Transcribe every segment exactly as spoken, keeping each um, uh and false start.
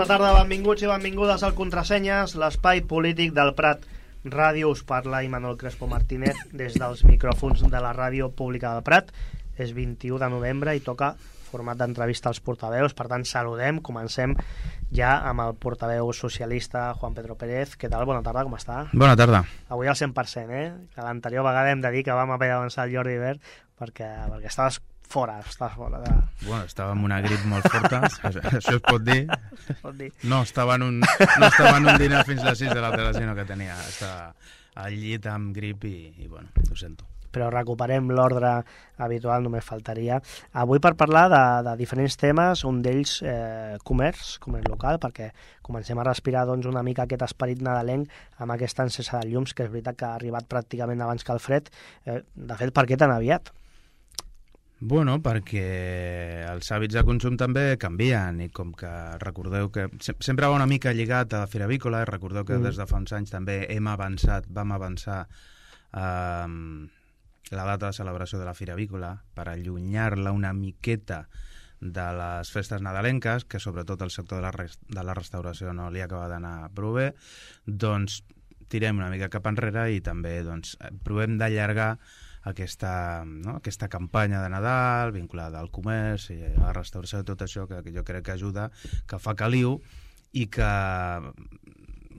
tarda, benvinguts i benvingudes al Contrasenyes, l'espai polític del Prat Ràdio. Us parla Imanol Crespo Martínez des dels micròfons de la ràdio pública del Prat. És vint-i-u de novembre i toca format d'entrevista als portaveus, per tant saludem, comencem ja amb el portaveu socialista Juan Pedro Pérez. Què tal? Bona tarda, com està? Bona tarda. Avui al cent per cent, eh? Que l'anterior vegada hem de dir que vam haver d'avançar el Jordi Verd perquè, perquè estaves fora, estaves fora de... Bueno, estava amb una grip molt forta, això es pot dir. Es pot dir. No estava en un, no estava en un dinar fins a les sis de la tarda, sinó que tenia, estava al llit amb grip i, i bueno, ho sento. Però recuperem l'ordre habitual, només faltaria. Avui per parlar de, de diferents temes, un d'ells eh, comerç, comerç local, perquè comencem a respirar doncs, una mica aquest esperit nadalenc amb aquesta encesa de llums, que és veritat que ha arribat pràcticament abans que el fred. Eh, de fet, per què tan aviat? Bueno, perquè els hàbits de consum també canvien i com que recordeu que sempre va una mica lligat a la Fira Avícola i recordeu que mm. des de fa uns anys també hem avançat, vam avançar eh, la data de celebració de la Fira Avícola per allunyar-la una miqueta de les festes nadalenques, que sobretot el sector de la, res de la restauració no li acaba d'anar prou bé, doncs tirem una mica cap enrere i també doncs, provem d'allargar aquesta, no? aquesta campanya de Nadal vinculada al comerç i a la restauració de tot això que, que jo crec que ajuda, que fa caliu i que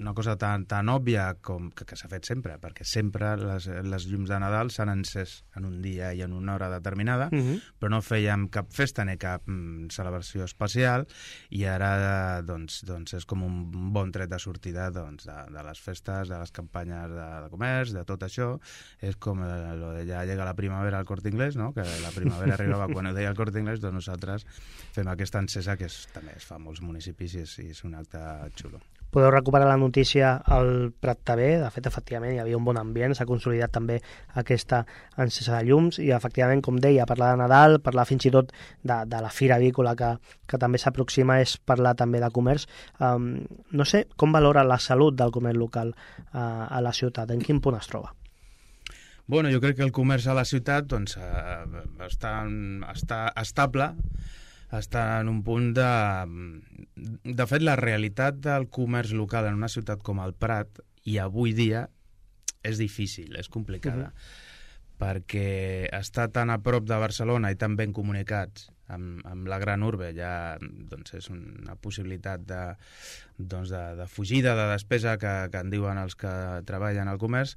una cosa tan, tan òbvia com que, que s'ha fet sempre, perquè sempre les, les llums de Nadal s'han encès en un dia i en una hora determinada, uh-huh. però no fèiem cap festa ni cap mm, celebració especial i ara doncs, doncs és com un bon tret de sortida doncs, de, de les festes, de les campanyes de, de comerç, de tot això. És com eh, lo de ja llega la primavera al Corte Inglés, no? Que la primavera arribava quan ho deia el Corte Inglés, doncs nosaltres fem aquesta encesa que és, també es fa a molts municipis i és, i és un acte xulo. Podeu recuperar la notícia al Prat T V. De fet, efectivament, hi havia un bon ambient, s'ha consolidat també aquesta encesa de llums i, efectivament, com deia, parlar de Nadal, parlar fins i tot de, de la Fira Avícola que, que també s'aproxima, és parlar també de comerç. Um, no sé, com valora la salut del comerç local uh, a la ciutat? En quin punt es troba? Bueno, jo crec que el comerç a la ciutat doncs, eh, està, està estable, està en un punt de... De fet, la realitat del comerç local en una ciutat com el Prat, i avui dia, és difícil, és complicada, uh-huh. perquè està tan a prop de Barcelona i tan ben comunicats amb, amb la gran urbe, ja doncs, és una possibilitat de, doncs, de, de fugida, de despesa que, que en diuen els que treballen al comerç,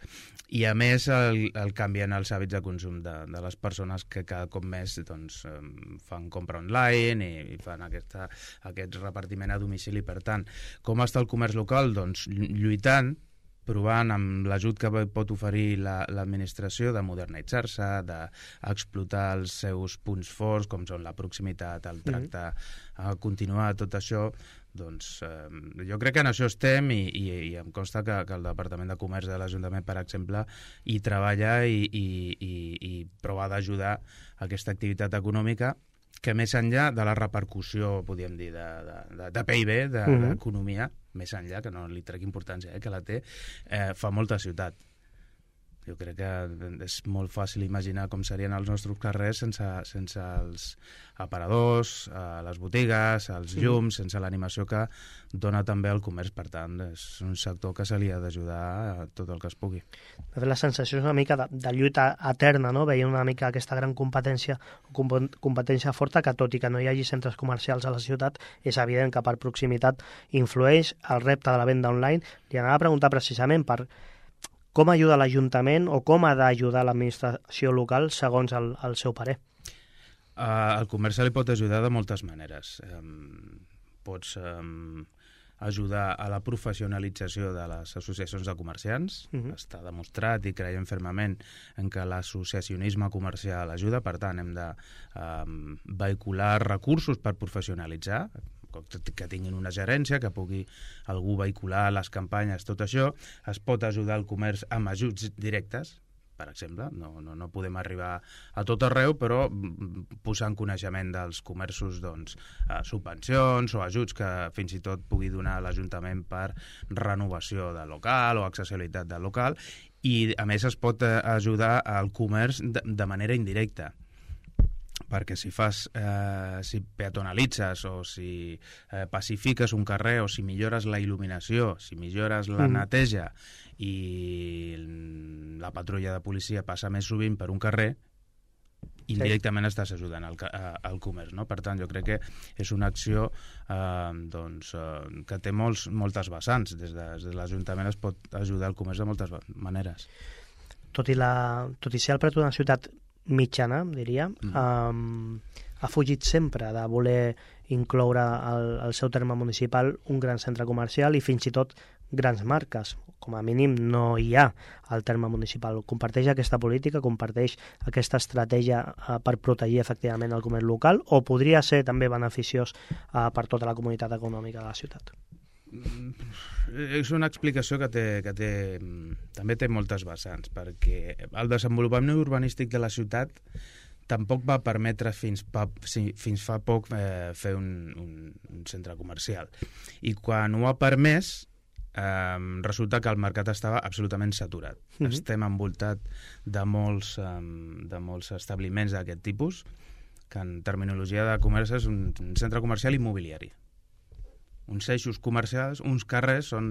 i a més el, el canvien els hàbits de consum de, de les persones que cada cop més doncs, fan compra online i, i fan aquesta, aquest repartiment a domicili. Per tant, com està el comerç local? Doncs lluitant, provant amb l'ajut que pot oferir l'administració la, de modernitzar-se, d'explotar els seus punts forts, com són la proximitat, el tracte mm-hmm. continuat, tot això, doncs eh, jo crec que en això estem i, i, i em consta que, que el Departament de Comerç de l'Ajuntament, per exemple, hi treballa i, i, i, i prova d'ajudar aquesta activitat econòmica que més enllà de la repercussió, podríem dir, de, de, de P I B, de, uh-huh. d'economia, més enllà, que no li trec importància, eh, que la té, eh, fa molta ciutat. Jo crec que és molt fàcil imaginar com serien els nostres carrers sense, sense els aparadors, eh, les botigues, els llums, sense l'animació que dona també el comerç. Per tant, és un sector que se li ha d'ajudar a tot el que es pugui. De fet, la sensació és una mica de, de lluita eterna, no? Veient una mica aquesta gran competència o competència forta, que tot i que no hi hagi centres comercials a la ciutat, és evident que per proximitat influeix el repte de la venda online. Li anava a preguntar precisament per com ajuda l'Ajuntament o com ha d'ajudar l'administració local segons el, el seu parer? Uh, el comerç li pot ajudar de moltes maneres. Um, pots um, ajudar a la professionalització de les associacions de comerciants. Uh-huh. Està demostrat i creiem fermament en que l'associacionisme comercial ajuda. Per tant, hem de um, vehicular recursos per professionalitzar, que tinguin una gerència, que pugui algú vehicular les campanyes, tot això. Es pot ajudar el comerç amb ajuts directes, per exemple. No, no, no podem arribar a tot arreu, però posar en coneixement dels comerços doncs, subvencions o ajuts que fins i tot pugui donar l'Ajuntament per renovació del local o accessibilitat del local. I, a més, es pot ajudar al comerç de, de manera indirecta. perquè si fas, eh, si peatonalitzes o si eh, pacifiques un carrer o si millores la il·luminació, si millores la Mm. neteja i la patrulla de policia passa més sovint per un carrer, indirectament estàs ajudant al, al comerç, no? Per tant, jo crec que és una acció eh, doncs, eh, que té molts, moltes vessants. Des de, des de l'Ajuntament es pot ajudar el comerç de moltes maneres. Tot i, la, tot i ser el Prat una ciutat mitjana, diria, Mm. um, ha fugit sempre de voler incloure al, al seu terme municipal un gran centre comercial i fins i tot grans marques. Com a mínim no hi ha al terme municipal. Comparteix aquesta política, comparteix aquesta estratègia uh, per protegir efectivament el comerç local, o podria ser també beneficiós uh, per tota la comunitat econòmica de la ciutat? És una explicació que, té, que té, també té moltes vessants, perquè el desenvolupament urbanístic de la ciutat tampoc va permetre fins, pa, fins fa poc eh, fer un, un, un centre comercial. I quan ho ha permès, eh, resulta que el mercat estava absolutament saturat. Mm-hmm. Estem envoltat de molts, eh, de molts establiments d'aquest tipus, que en terminologia de comerç és un, un centre comercial immobiliari. Uns eixos comercials, uns carrers són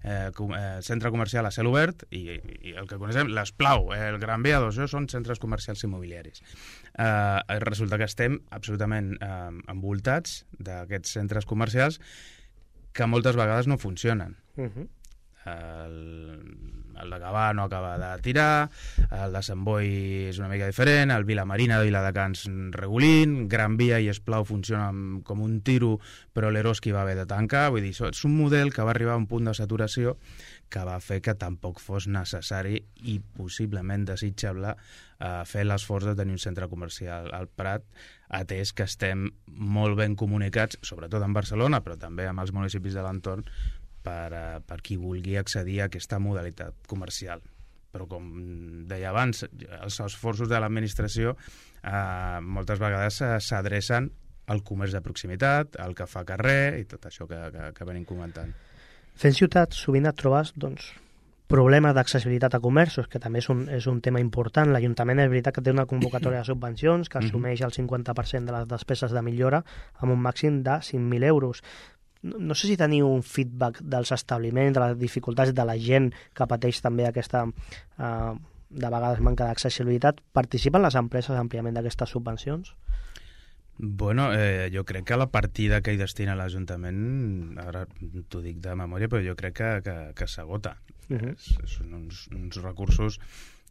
eh, com, eh, centre comercial a cel obert i, i el que coneixem, l'Esplau, el Gran Via, doncs, són centres comercials immobiliaris. Eh, resulta que estem absolutament eh, envoltats d'aquests centres comercials que moltes vegades no funcionen. Uh-huh. El, el de Gavà no acaba de tirar, el de Sant Boi és una mica diferent, el Vilamarina de Viladecans regulint, Gran Via i Esplau funcionen com un tiro, però l'Eroski va haver de tancar. Vull dir, és un model que va arribar a un punt de saturació que va fer que tampoc fos necessari i possiblement desitjable eh, fer l'esforç de tenir un centre comercial al Prat, atès que estem molt ben comunicats, sobretot en Barcelona, però també amb els municipis de l'entorn, per, uh, per qui vulgui accedir a aquesta modalitat comercial. Però, com deia abans, els esforços de l'administració eh, moltes vegades s'adrecen al comerç de proximitat, al que fa carrer i tot això que, que, que venim comentant. Fent ciutat, sovint et trobes doncs, problemes d'accessibilitat a comerços, que també és un, és un tema important. L'Ajuntament és veritat que té una convocatòria de subvencions que assumeix el cinquanta per cent de les despeses de millora amb un màxim de cinc mil euros. No sé si teniu un feedback dels establiments, de les dificultats de la gent que pateix també aquesta, eh, de vegades, manca d'accessibilitat. Participen les empreses àmpliament d'aquestes subvencions? Bueno, eh, jo crec que la partida que hi destina l'Ajuntament, ara t'ho dic de memòria, però jo crec que, que, que s'agota. Uh-huh. Són uns, uns recursos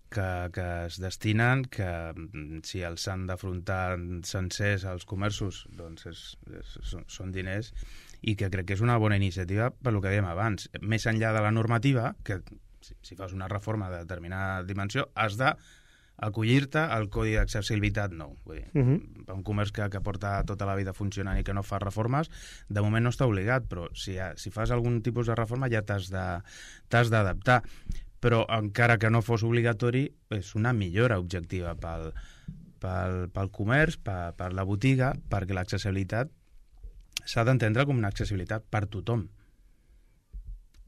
que, que es destinen, que si els han d'afrontar sencers als comerços, doncs és, és, són, són diners, i que crec que és una bona iniciativa per el que dèiem abans. Més enllà de la normativa, que si, si fas una reforma de determinada dimensió, has d'acollir-te al codi d'accessibilitat nou. Vull dir, uh-huh. Un comerç que, que porta tota la vida funcionant i que no fa reformes, de moment no està obligat, però si, si fas algun tipus de reforma ja t'has de, t'has d'adaptar. Però encara que no fos obligatori, és una millora objectiva pel, pel, pel comerç, per, per la botiga, perquè l'accessibilitat s'ha d'entendre com una accessibilitat per tothom.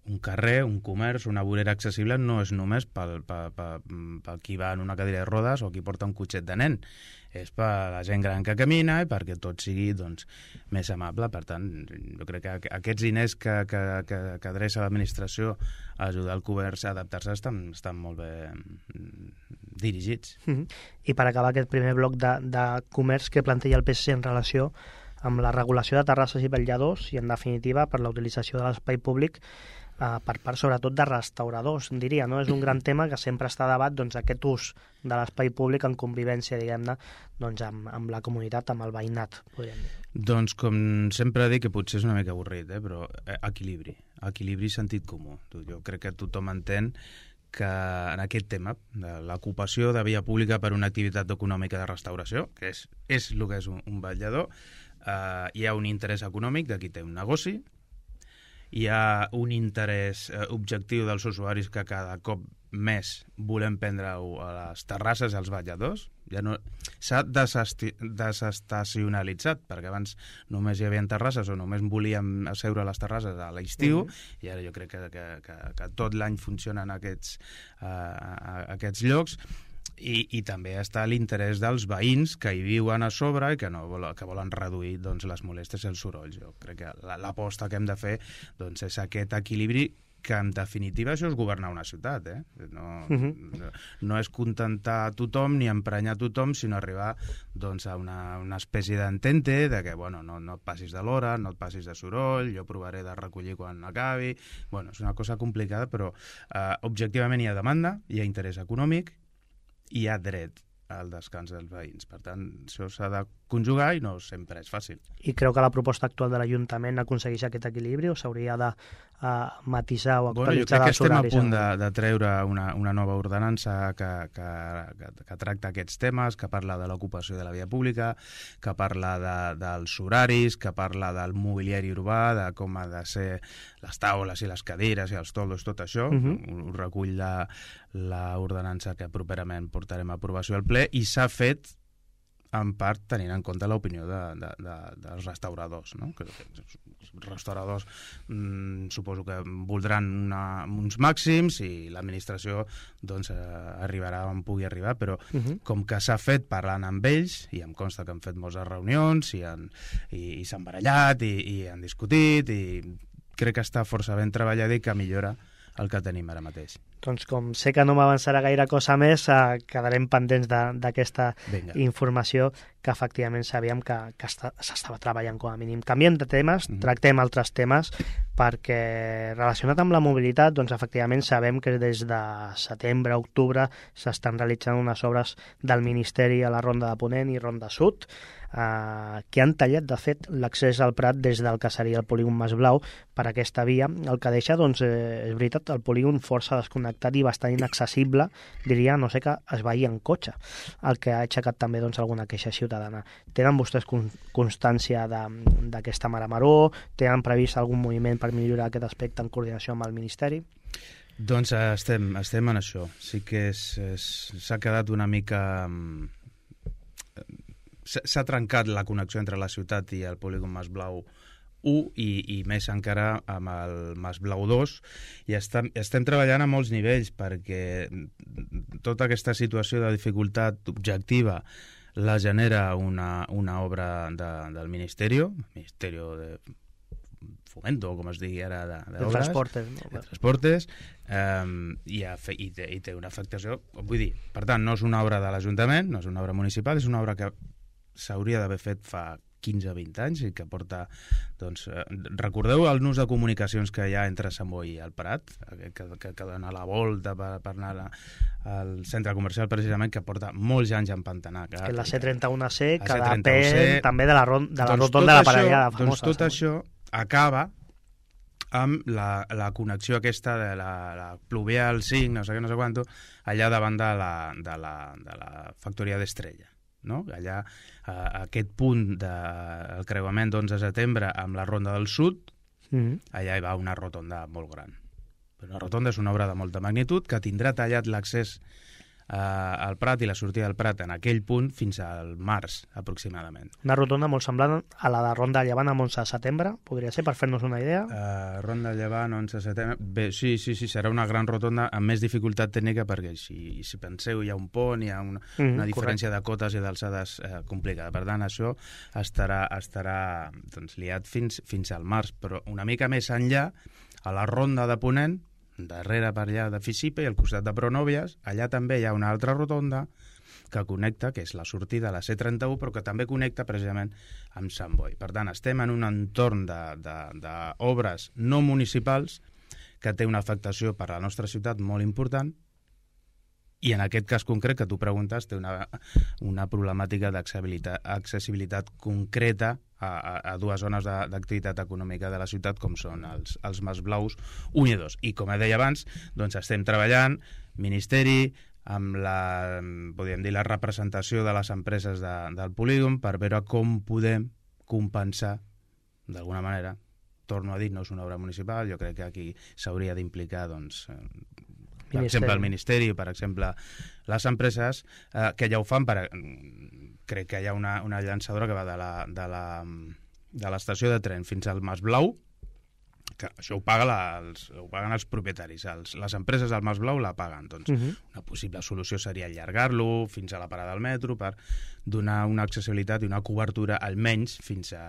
Un carrer, un comerç, una vorera accessible no és només pel, pel, pel, pel qui va en una cadira de rodes o qui porta un cotxet de nen. És per la gent gran que camina i perquè tot sigui doncs, més amable. Per tant, jo crec que aquests diners que, que, que, que adreça l'administració a ajudar el comerç a adaptar-se estan, estan molt bé dirigits. Mm-hmm. I per acabar aquest primer bloc de, de comerç que planteja el P S C en relació amb la regulació de terrasses i vetlladors i, en definitiva, per la utilització de l'espai públic eh, per part, sobretot, de restauradors, diria, no? És un gran tema que sempre està a debat, doncs, aquest ús de l'espai públic en convivència, diguem-ne, doncs, amb, amb la comunitat, amb el veïnat, podríem dir. Doncs, com sempre dic, que potser és una mica avorrit, eh? Però eh, equilibri, equilibri i sentit comú. Jo crec que tothom entén que en aquest tema de l'ocupació de via pública per una activitat econòmica de restauració, que és, és el que és un, un vetllador, Uh, hi ha un interès econòmic de qui té un negoci, hi ha un interès uh, objectiu dels usuaris que cada cop més volem prendre a les terrasses i als vetlladors. Ja no... S'ha desestacionalitzat, perquè abans només hi havia terrasses o només volíem asseure a les terrasses a l'estiu, mm-hmm. i ara jo crec que, que, que, que tot l'any funcionen aquests, uh, aquests llocs. I, i també està l'interès dels veïns que hi viuen a sobre i que, no vol, que volen reduir doncs, les molèsties i els sorolls. Jo crec que l'aposta que hem de fer doncs, és aquest equilibri, que en definitiva això és governar una ciutat, eh? No, uh-huh. no, no és contentar tothom ni emprenyar tothom, sinó arribar doncs, a una, una espècie d'entente de que bueno, no, no et passis de l'hora, no et passis de soroll, jo provaré de recollir quan acabi. Bueno, és una cosa complicada, però eh, objectivament hi ha demanda, hi ha interès econòmic, hi ha dret al descans dels veïns. Per tant, això s'ha de conjugar i no sempre és fàcil. I creu que la proposta actual de l'Ajuntament aconsegueix aquest equilibri o s'hauria de uh, matisar o actualitzar bueno, els horaris? Jo crec que estem a punt de, de treure una, una nova ordenança que, que, que, que tracta aquests temes, que parla de l'ocupació de la via pública, que parla de, dels horaris, que parla del mobiliari urbà, de com ha de ser les taules i les cadires i els toldos, tot això. Uh-huh. Ho, ho recull l'ordenança que properament portarem a aprovació al ple i s'ha fet en part tenint en compte l'opinió de, de, de, dels restauradors, no? Que els restauradors mmm, suposo que voldran una, uns màxims i l'administració doncs, eh, arribarà on pugui arribar, però uh-huh. com que s'ha fet parlant amb ells, i em consta que han fet moltes reunions i, han, i, i s'han barallat i, i han discutit i crec que està força ben treballat i que millora el que tenim ara mateix. Doncs com sé que no m'avançarà gaire cosa més, eh, quedarem pendents d'aquesta informació que efectivament sabíem que, que s'estava treballant com a mínim. Canviem de temes, mm-hmm. tractem altres temes, perquè relacionat amb la mobilitat, doncs efectivament sabem que des de setembre a octubre s'estan realitzant unes obres del Ministeri a la Ronda de Ponent i Ronda Sud, Uh, que han tallat, de fet, l'accés al Prat des del que seria el polígon Mas Blau per aquesta via, el que deixa, doncs, eh, és veritat, el polígon força desconnectat i bastant inaccessible, diria, no sé, que es veia en cotxe, el que ha aixecat també doncs, alguna queixa ciutadana. Tenen vostès con constància d'aquesta mare-maró? Tenen previst algun moviment per millorar aquest aspecte en coordinació amb el Ministeri? Doncs uh, estem, estem en això. Sí que s'ha quedat una mica... Um... s'ha trencat la connexió entre la ciutat i el polígon Mas Blau u i, i més encara amb el Mas Blau dos i estem, estem treballant a molts nivells perquè tota aquesta situació de dificultat objectiva la genera una, una obra de, del Ministeri, Ministeri de Fomento, com es digui ara, de, de, de transportes, no? de transportes um, i, ha fe, i, té, i té una afectació, vull dir, per tant, no és una obra de l'Ajuntament, no és una obra municipal, és una obra que s'hauria d'haver fet fa quinze o vint anys i que porta, doncs, eh, recordeu el nus de comunicacions que hi ha entre Sant Boi i el Prat, que, que, que dona la volta per, per anar la, al centre comercial precisament, que porta molts anys empantanat. Que la C trenta u C, que depèn també de la, ron, de la doncs rotonda de la Parellada famosa. Doncs tot això acaba amb la, la connexió aquesta de la, la Pluvial cinc, no sé què, no sé quanto, allà davant de la, de la, de la factoria d'Estrella. No? Allà, a aquest punt del creuament d'onze de setembre amb la Ronda del Sud, mm-hmm. allà hi va una rotonda molt gran. Una rotonda és una obra de molta magnitud que tindrà tallat l'accés eh, al Prat i la sortida del Prat en aquell punt fins al març, aproximadament. Una rotonda molt semblant a la de Ronda de Llevant amb onze de setembre, podria ser, per fer-nos una idea? Uh, Ronda de Llevant, onze de setembre... Bé, sí, sí, sí, serà una gran rotonda amb més dificultat tècnica perquè si, si penseu hi ha un pont, hi ha una, mm, una diferència correcte. De cotes i d'alçades eh, complicada. Per tant, això estarà, estarà doncs, liat fins, fins al març, però una mica més enllà, a la Ronda de Ponent, darrere per allà de Fisipe i al costat de Pronòvies, allà també hi ha una altra rotonda que connecta, que és la sortida a la C trenta u, però que també connecta precisament amb Sant Boi. Per tant, estem en un entorn d'obres no municipals que té una afectació per a la nostra ciutat molt important i en aquest cas concret que tu preguntes té una, una problemàtica d'accessibilitat concreta a, a, a dues zones d'activitat econòmica de la ciutat com són els, els Mas Blaus un i dos. I com deia abans, doncs estem treballant, Ministeri, amb la, podríem dir, la representació de les empreses de, del polígon per veure com podem compensar d'alguna manera. Torno a dir, no és una obra municipal, jo crec que aquí s'hauria d'implicar, doncs, per Ministeri. exemple, el Ministeri, per exemple, les empreses eh, que ja ho fan, per, crec que hi ha una, una llançadora que va de la, de la, de l'estació de tren fins al Mas Blau, que això ho, paga la, els, ho paguen els propietaris. Els, les empreses del Mas Blau la paguen. Doncs uh-huh. Una possible solució seria allargar-lo fins a la parada del metro per donar una accessibilitat i una cobertura almenys fins a,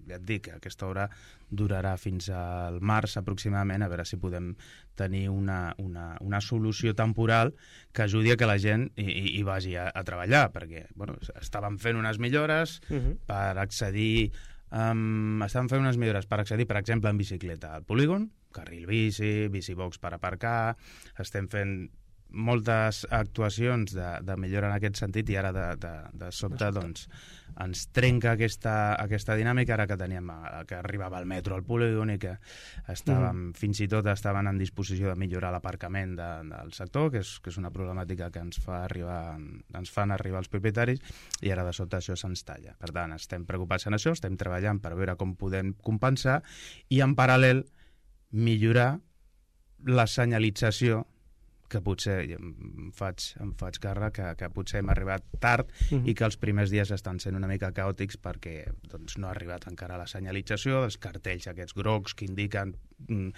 ja et dic, aquesta hora durarà fins al març aproximadament, a veure si podem tenir una, una, una solució temporal que ajudi a que la gent hi, hi vagi a, a treballar, perquè bueno, estàvem fent unes millores uh-huh. per accedir Um, estan fent unes millores per accedir, per exemple, en bicicleta al polígon, carril bici, bicibox per aparcar, estem fent moltes actuacions de, de millora en aquest sentit i ara de, de, de sobte doncs, ens trenca aquesta, aquesta dinàmica ara que teníem que arribava el metro al polígon i que estàvem, mm. fins i tot estaven en disposició de millorar l'aparcament de, del sector, que és, que és una problemàtica que ens fa arribar, ens fan arribar els propietaris, i ara de sobte això se'ns talla. Per tant, estem preocupats en això, estem treballant per veure com podem compensar i en paral·lel millorar la senyalització, que potser em faig, em faig càrrec que, que potser hem arribat tard uh-huh. i que els primers dies estan sent una mica caòtics perquè doncs, no ha arribat encara la senyalització, els cartells aquests grocs que indiquen eh,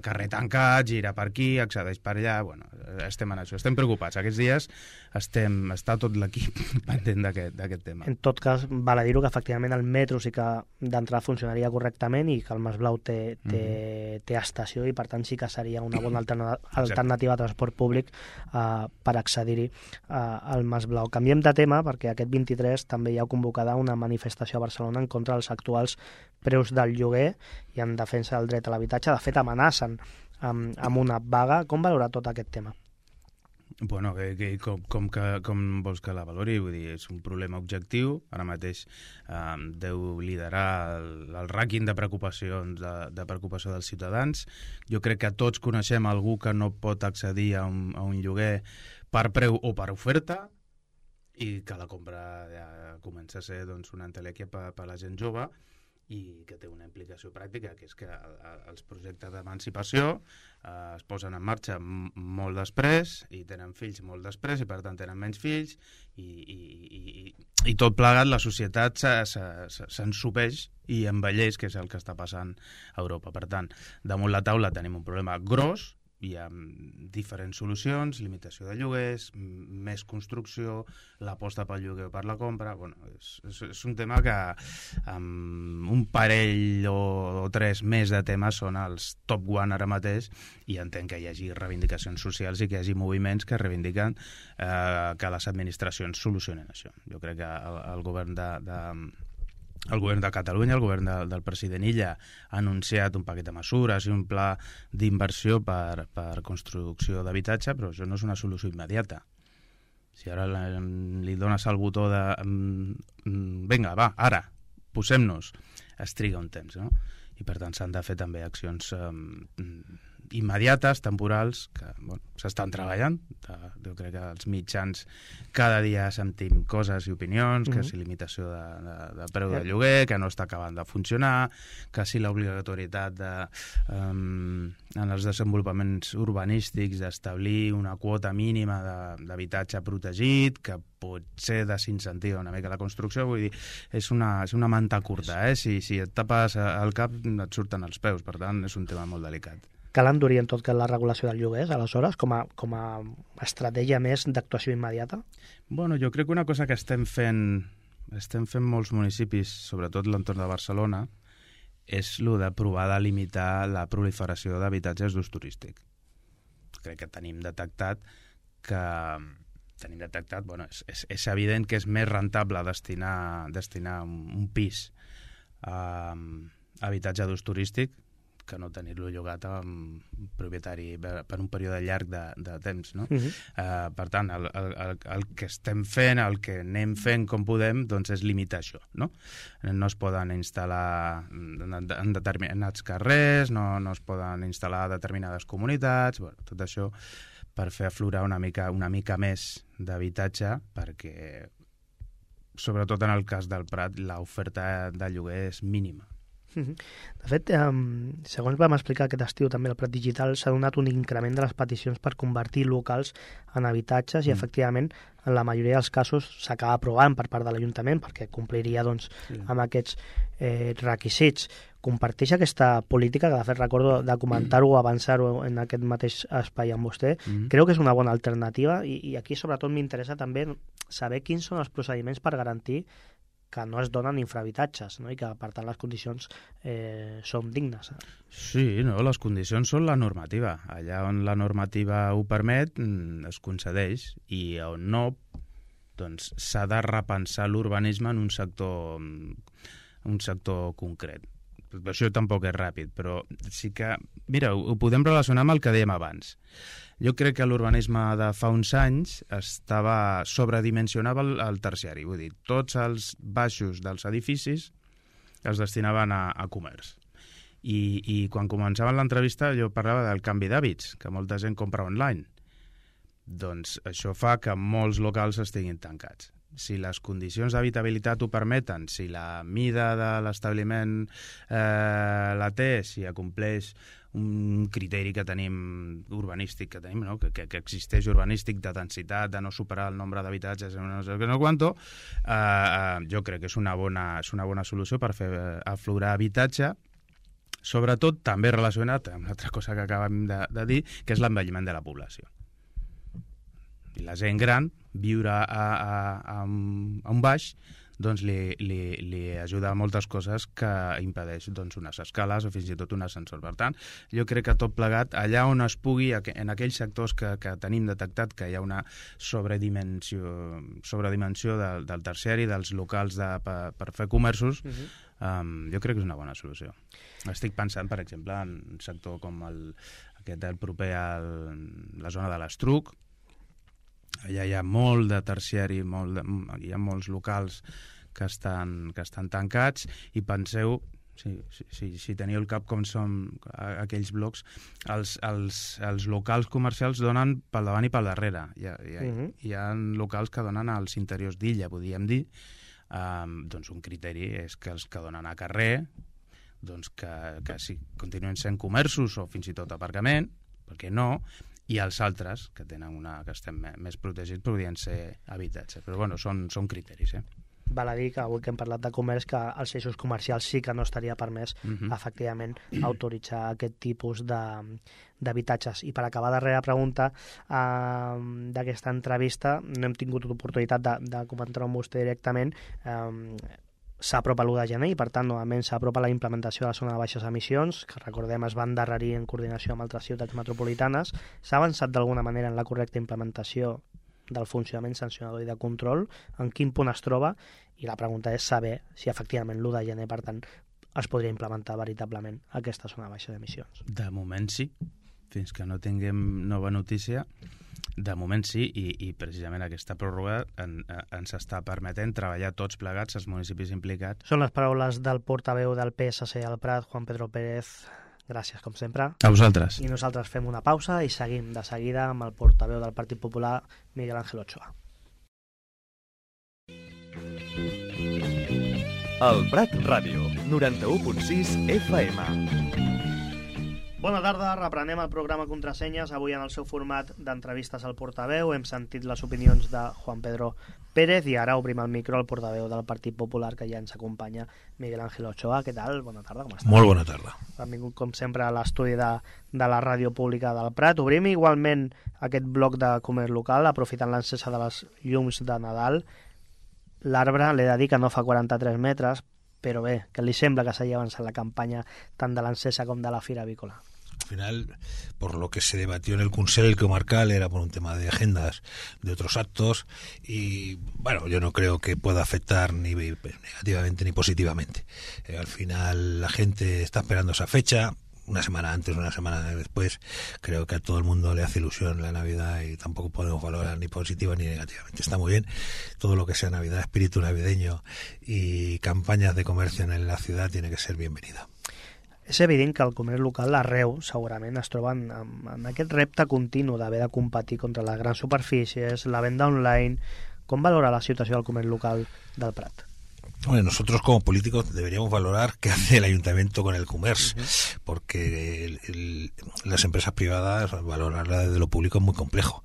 carrer tancat, gira per aquí, accedeix per allà, bueno, estem en això, estem preocupats. Aquests dies estem, està tot l'equip pendent d'aquest tema. En tot cas, val a dir-ho que efectivament el metro sí que d'entrada funcionaria correctament i que el Mas Blau té, té, uh-huh. té estació i per tant sí que seria una bona alterna- alternativa a transport públic uh, per accedir-hi uh, al Mas Blau. Canviem de tema perquè aquest vint-i-tres també hi ha convocada una manifestació a Barcelona en contra dels actuals preus del lloguer i en defensa del dret a l'habitatge. De fet, amenacen amb, amb una vaga. Com valorar tot aquest tema? Bueno, que, que, com, com, que, com vols que la valori? Vull dir, és un problema objectiu. Ara mateix eh, deu liderar el, el rànquing de preocupacions de, de preocupació dels ciutadans. Jo crec que tots coneixem algú que no pot accedir a un, a un lloguer per preu o per oferta i que la compra ja comença a ser doncs, una entelèquia per, per la gent jove i que té una implicació pràctica, que és que els projectes d'emancipació eh, es posen en marxa m- molt després i tenen fills molt després i per tant tenen menys fills i, i, i, i tot plegat la societat s'ensopeix i envelleix, que és el que està passant a Europa. Per tant, damunt la taula tenim un problema gros, hi ha diferents solucions, limitació de lloguers, més construcció, l'aposta pel lloguer o per la compra. Bueno, és, és, és un tema que amb un parell o, o tres més de temes són els top one ara mateix i entenc que hi hagi reivindicacions socials i que hi hagi moviments que reivindiquen eh, que les administracions solucionen això. Jo crec que el, el govern de... de El govern de Catalunya, el govern de, del president Illa, ha anunciat un paquet de mesures i un pla d'inversió per, per construcció d'habitatge, però això no és una solució immediata. Si ara la, li dones el botó de vinga, va, ara, posem-nos, es triga un temps, no? I per tant s'han de fer també accions um, immediates, temporals, que bueno, s'estan treballant. Jo crec que els mitjans cada dia sentim coses i opinions, mm-hmm. que si limitació de, de, de preu de lloguer, que no està acabant de funcionar, que si l'obligatorietat de, um, en els desenvolupaments urbanístics d'establir una quota mínima d'habitatge protegit, que potser desincentiva una mica la construcció. Vull dir, és una, és una manta curta, eh? Si, si et tapes el cap et surten els peus, per tant és un tema molt delicat. Cal endurir en tot cas la regulació dels lloguers, aleshores, com a, com a estratègia més d'actuació immediata? Bueno, jo crec que una cosa que estem fent, estem fent molts municipis, sobretot l'entorn de Barcelona, és el de provar de limitar la proliferació d'habitatges d'ús turístic. Crec que tenim detectat que... Tenim detectat, bueno, és, és, és evident que és més rentable destinar, destinar un, un pis a, a habitatge d'ús turístic que no tenir-lo llogat a un propietari per un període llarg de, de temps, no? Uh-huh. Uh, per tant, el, el, el que estem fent, el que anem fent com podem, doncs és limitar això, no? No es poden instal·lar en determinats carrers, no, no es poden instal·lar determinades comunitats, bueno, tot això per fer aflorar una mica, una mica més d'habitatge, perquè, sobretot en el cas del Prat, l'oferta de lloguer és mínima. De fet, eh, segons vam explicar aquest estiu també al Prat Digital, s'ha donat un increment de les peticions per convertir locals en habitatges i, mm. efectivament, en la majoria dels casos s'acaba aprovant per part de l'Ajuntament perquè compliria doncs, sí. amb aquests eh, requisits. comparteix aquesta política, que de fet recordo de comentar-ho o avançar-ho en aquest mateix espai amb vostè. Mm-hmm. Creu que és una bona alternativa i, i aquí sobretot m'interessa també saber quins són els procediments per garantir que no es donen infrahabitatges, no? I que per tant les condicions eh, són dignes. Sí, no, les condicions són la normativa. Allà on la normativa ho permet es concedeix i on no, doncs s'ha de repensar l'urbanisme en un sector, un sector concret. Això tampoc és ràpid, però sí que... Mira, ho, ho podem relacionar amb el que dèiem abans. Jo crec que l'urbanisme de fa uns anys estava sobredimensionava el, el terciari. Vull dir, tots els baixos dels edificis es destinaven a, a comerç. I, I quan començava l'entrevista jo parlava del canvi d'hàbits, que molta gent compra online. Doncs això fa que molts locals estiguin tancats. Si les condicions d'habitabilitat ho permeten, si la mida de l'establiment eh, la té, si acompleix un criteri que tenim urbanístic, que tenim, no? que, que, que existeix urbanístic de densitat, de no superar el nombre d'habitatges, no sé no quanto, eh, eh, jo crec que és una bona, és una bona solució per fer aflorar habitatge, sobretot també relacionat amb l'altra cosa que acabem de, de dir, que és l'envelliment de la població. I la gent gran, viure a, a, a, un, a un baix, doncs li, li, li ajuda a moltes coses que impedeix doncs, unes escales o fins i tot un ascensor. Per tant, jo crec que tot plegat, allà on es pugui, en aquells sectors que, que tenim detectat que hi ha una sobredimensió, sobredimensió del, del terciari, dels locals de, per, per fer comerços, uh-huh. um, jo crec que és una bona solució. Estic pensant, per exemple, en un sector com el, aquest el proper a la zona de l'Estruc. Allà hi ha molt de terciari, molt de, hi ha molts locals que estan, que estan tancats i penseu, si, si, si teniu el cap com són aquells blocs, els, els, els locals comercials donen pel davant i pel darrere. Hi ha, hi ha, uh-huh. hi ha locals que donen als interiors d'illa, podríem dir. Um, doncs un criteri és que els que donen a carrer doncs que, que sí, continuen sent comerços o fins i tot aparcament, perquè no, i els altres, que tenen una que estem més protegits, podrien ser habitatges. Però bueno, són, són criteris, eh? Val a dir que avui que hem parlat de comerç, que als eixos comercials sí que no estaria permès, uh-huh. efectivament, autoritzar aquest tipus de, d'habitatges. I per acabar, darrera pregunta eh, d'aquesta entrevista, no hem tingut oportunitat de, de comentar amb vostè directament, eh, s'apropa l'u de gener i, per tant, novament s'apropa la implementació de la zona de baixes emissions, que recordem es va endarrerir en coordinació amb altres ciutats metropolitanes. S'ha avançat d'alguna manera en la correcta implementació del funcionament sancionador i de control, en quin punt es troba, i la pregunta és saber si efectivament l'u de gener, per tant, es podria implementar veritablement aquesta zona de baixes emissions. De moment sí, fins que no tinguem nova notícia. De moment sí, i, i precisament aquesta pròrroga en, ens està permetent treballar tots plegats, els municipis implicats. Són les paraules del portaveu del P S C al Prat, Juan Pedro Pérez. Gràcies, com sempre. A vosaltres. I nosaltres fem una pausa i seguim de seguida amb el portaveu del Partit Popular, Miguel Ángel Ochoa. El Prat Ràdio, noranta-u punt sis F M. Bona tarda, reprenem el programa Contrasenyes, avui en el seu format d'entrevistes al portaveu. Hem sentit les opinions de Juan Pedro Pérez i ara obrim el micro al portaveu del Partit Popular, que ja ens acompanya, Miguel Ángel Ochoa. Què tal? Bona tarda, com estàs? Molt bona tarda. Han vingut, com sempre, a l'estudi de, de la ràdio pública del Prat. Obrim igualment aquest bloc de comerç local, aprofitant l'encesa de les llums de Nadal. L'arbre, l'he de dir que no fa quaranta-tres metres, però bé, que li sembla que s'hagi avançat la campanya tant de l'encesa com de la Fira Avícola. Al final, por lo que se debatió en el Consell Comarcal era por un tema de agendas de otros actos y, bueno, yo no creo que pueda afectar ni negativamente ni positivamente. Eh, al final la gente está esperando esa fecha, una semana antes, una semana después. Creo que a todo el mundo le hace ilusión la Navidad y tampoco podemos valorar ni positiva ni negativamente. Está muy bien todo lo que sea Navidad, espíritu navideño y campañas de comercio en la ciudad tiene que ser bienvenida. És evident que el comerç local arreu segurament es troba en, en aquest repte continu d'haver de competir contra les grans superfícies, la venda online. Com valora la situació del comerç local del Prat? Bueno, nosotros como políticos deberíamos valorar qué hace el ayuntamiento con el comercio, uh-huh. porque el, el, las empresas privadas, valorarla desde lo público es muy complejo.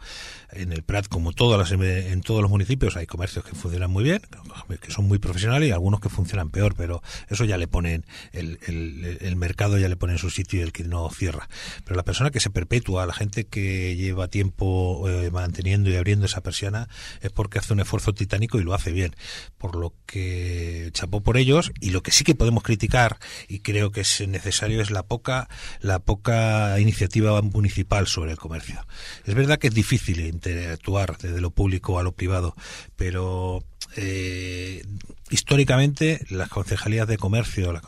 En el Prat, como todas las, en todos los municipios, hay comercios que funcionan muy bien, que son muy profesionales, y algunos que funcionan peor, pero eso ya le ponen, el, el, el mercado ya le pone en su sitio y el que no cierra. Pero la persona que se perpetúa, la gente que lleva tiempo eh, manteniendo y abriendo esa persiana, es porque hace un esfuerzo titánico y lo hace bien. Por lo que chapó por ellos, y lo que sí que podemos criticar, y creo que es necesario, es la poca la poca iniciativa municipal sobre el comercio. Es verdad que es difícil interactuar desde lo público a lo privado, pero eh, históricamente las concejalías de comercio, la,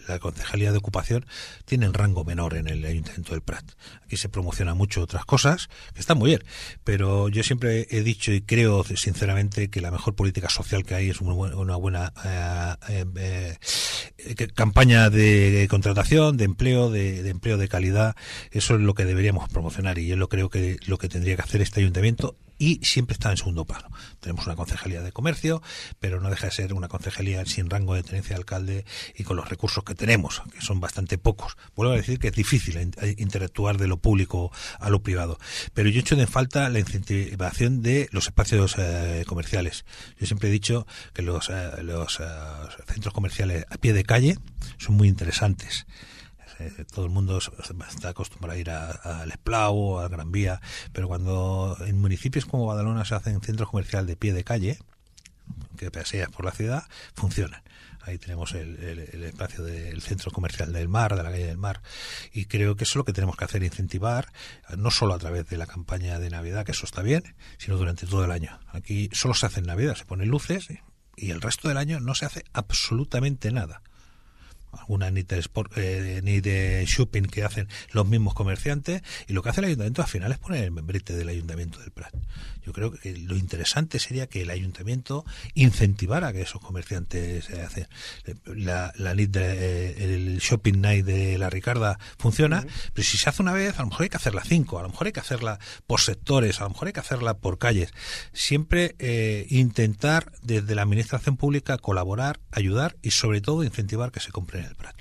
la concejalía de ocupación tienen rango menor en el Ayuntamiento del Prat. Aquí se promocionan mucho otras cosas que están muy bien, pero yo siempre he dicho y creo sinceramente que la mejor política social que hay es una buena, una buena eh, eh, eh, campaña de contratación, de empleo, de, de empleo de calidad. Eso es lo que deberíamos promocionar, y yo lo creo que lo que tendría que hacer este ayuntamiento, y siempre está en segundo plano. Tenemos una concejalía de comercio, pero no deja de ser una concejalía sin rango de tenencia de alcalde y con los recursos que tenemos, que son bastante pocos. Vuelvo a decir que es difícil interactuar de lo público a lo privado, pero yo echo de falta la incentivación de los espacios eh, comerciales. Yo siempre he dicho que los, eh, los eh, centros comerciales a pie de calle son muy interesantes. Todo el mundo está acostumbrado a ir al Esplau o al Gran Vía, pero cuando en municipios como Badalona se hacen centros comerciales de pie de calle, que paseas por la ciudad, funcionan. Ahí tenemos el, el, el espacio del centro comercial del Mar, de la calle del Mar, y creo que eso es lo que tenemos que hacer, incentivar, no solo a través de la campaña de Navidad, que eso está bien, sino durante todo el año. Aquí solo se hace en Navidad, se ponen luces, y el resto del año no se hace absolutamente nada. Alguna ni de, sport, eh, ni de shopping que hacen los mismos comerciantes, y lo que hace el ayuntamiento al final es poner el membrete del ayuntamiento del Prat. Yo creo que lo interesante sería que el ayuntamiento incentivara a que esos comerciantes se eh, hacen. La, la de, eh, el shopping night de la Ricarda funciona, uh-huh. pero si se hace una vez, a lo mejor hay que hacerla cinco, a lo mejor hay que hacerla por sectores, a lo mejor hay que hacerla por calles. Siempre eh, intentar desde la administración pública colaborar, ayudar y sobre todo incentivar que se compren el Prat.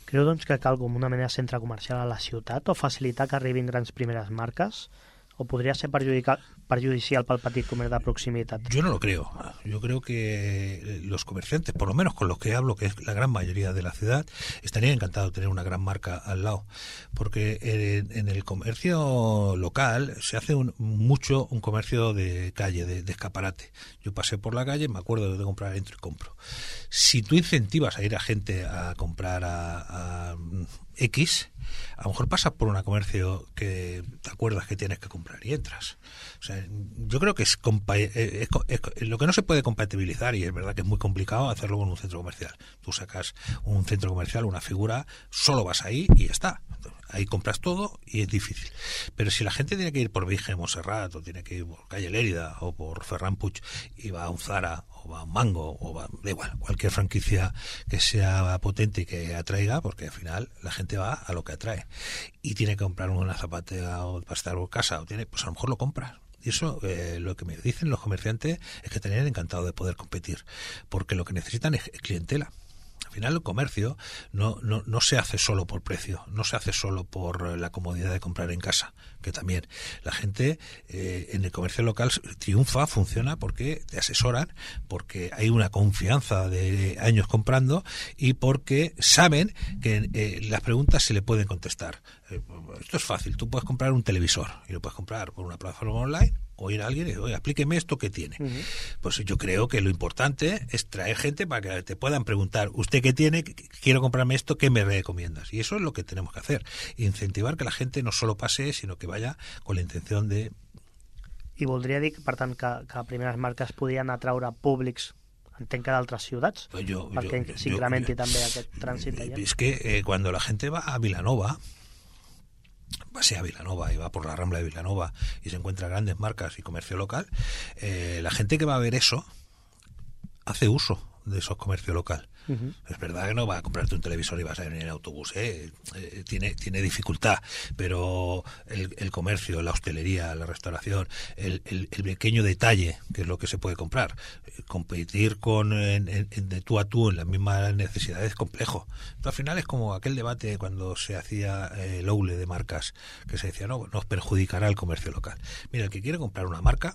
Creu doncs que cal com una mena de centre comercial a la ciutat, o facilitar que arribin grans primeres marques, o podría ser perjudicial para el petit comerç de proximitat? Yo no lo creo. Yo creo que los comerciantes, por lo menos con los que hablo, que es la gran mayoría de la ciudad, estarían encantados de tener una gran marca al lado, porque en, en el comercio local se hace un, mucho un comercio de calle, de, de escaparate. Yo pasé por la calle, me acuerdo de comprar, entro y compro. Si tú incentivas a ir a gente a comprar a, a X, a lo mejor pasas por un comercio que te acuerdas que tienes que comprar y entras. O sea, yo creo que es, compa- es, es, es lo que no se puede compatibilizar, y es verdad que es muy complicado hacerlo con un centro comercial. Tú sacas un centro comercial, una figura, solo vas ahí y ya está. Ahí compras todo y es difícil. Pero si la gente tiene que ir por Virgen Montserrat, o tiene que ir por Calle Lérida o por Ferran Puig, y va a un Zara o va a un Mango, o va, da igual, cualquier franquicia que sea potente y que atraiga, porque al final la gente va a lo que atrae, y tiene que comprar una zapatera o para estar en casa, o tiene, pues a lo mejor lo compras. Y eso, eh, lo que me dicen los comerciantes es que estarían encantados de poder competir, porque lo que necesitan es clientela. Al final el comercio no, no, no se hace solo por precio, no se hace solo por la comodidad de comprar en casa, que también la gente eh, en el comercio local triunfa, funciona porque te asesoran, porque hay una confianza de años comprando, y porque saben que eh, las preguntas se le pueden contestar. Eh, esto es fácil, tú puedes comprar un televisor y lo puedes comprar por una plataforma online, o ir a alguien y decir, oye, aplíqueme esto que tiene. Uh-huh. Pues yo creo que lo importante es traer gente para que te puedan preguntar, ¿usted qué tiene? Quiero comprarme esto, ¿qué me recomiendas? Y eso es lo que tenemos que hacer, incentivar que la gente no solo pase, sino que vaya con la intención de... I voldria dir, per tant, que, que primeres marques podien atraure públics, entenc que d'altres ciutats, jo, perquè jo, s'incrementi jo, també aquest trànsit allà. Es que eh, cuando la gente va a Vilanova, pasea a Vilanova y va por la Rambla de Vilanova y se encuentra grandes marcas y comercio local, eh, la gente que va a ver eso hace uso de esos comercio local. Uh-huh. Es verdad que no vas a comprarte un televisor y vas a venir en autobús, ¿eh? Eh, tiene, tiene dificultad, pero el, el comercio, la hostelería, la restauración, el, el, el pequeño detalle, que es lo que se puede comprar, eh, competir con en, en, de tú a tú en las mismas necesidades es complejo. Pero al final es como aquel debate cuando se hacía eh, el oule de marcas, que se decía, no, nos perjudicará el comercio local. Mira, el que quiere comprar una marca,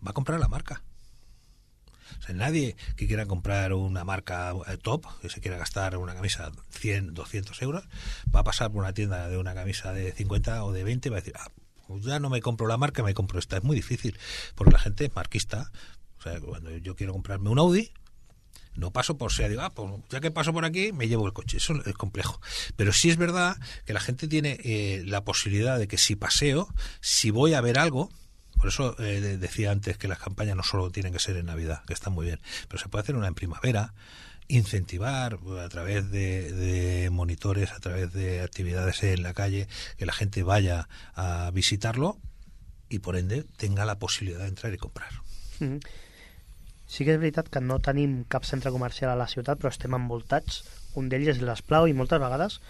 va a comprar la marca. O sea, nadie que quiera comprar una marca top, que se quiera gastar una camisa cien, doscientos euros, va a pasar por una tienda de una camisa de cincuenta o de veinte y va a decir, ah, pues ya no me compro la marca, me compro esta. Es muy difícil, porque la gente es marquista. O sea, cuando yo quiero comprarme un Audi, no paso por sea, digo, ah, pues ya que paso por aquí, me llevo el coche. Eso es complejo. Pero sí es verdad que la gente tiene eh, la posibilidad de que si paseo, si voy a ver algo. Por eso eh, decía antes que las campañas no solo tienen que ser en Navidad, que están muy bien, pero se puede hacer una en primavera, incentivar a través de, de monitores, a través de actividades en la calle, que la gente vaya a visitarlo y por ende tenga la posibilidad de entrar y comprar. Mm-hmm. Sí que és veritat que no tenim cap centre comercial a la ciutat, però estem envoltats. Un d'ells és l'Esplau i moltes vegades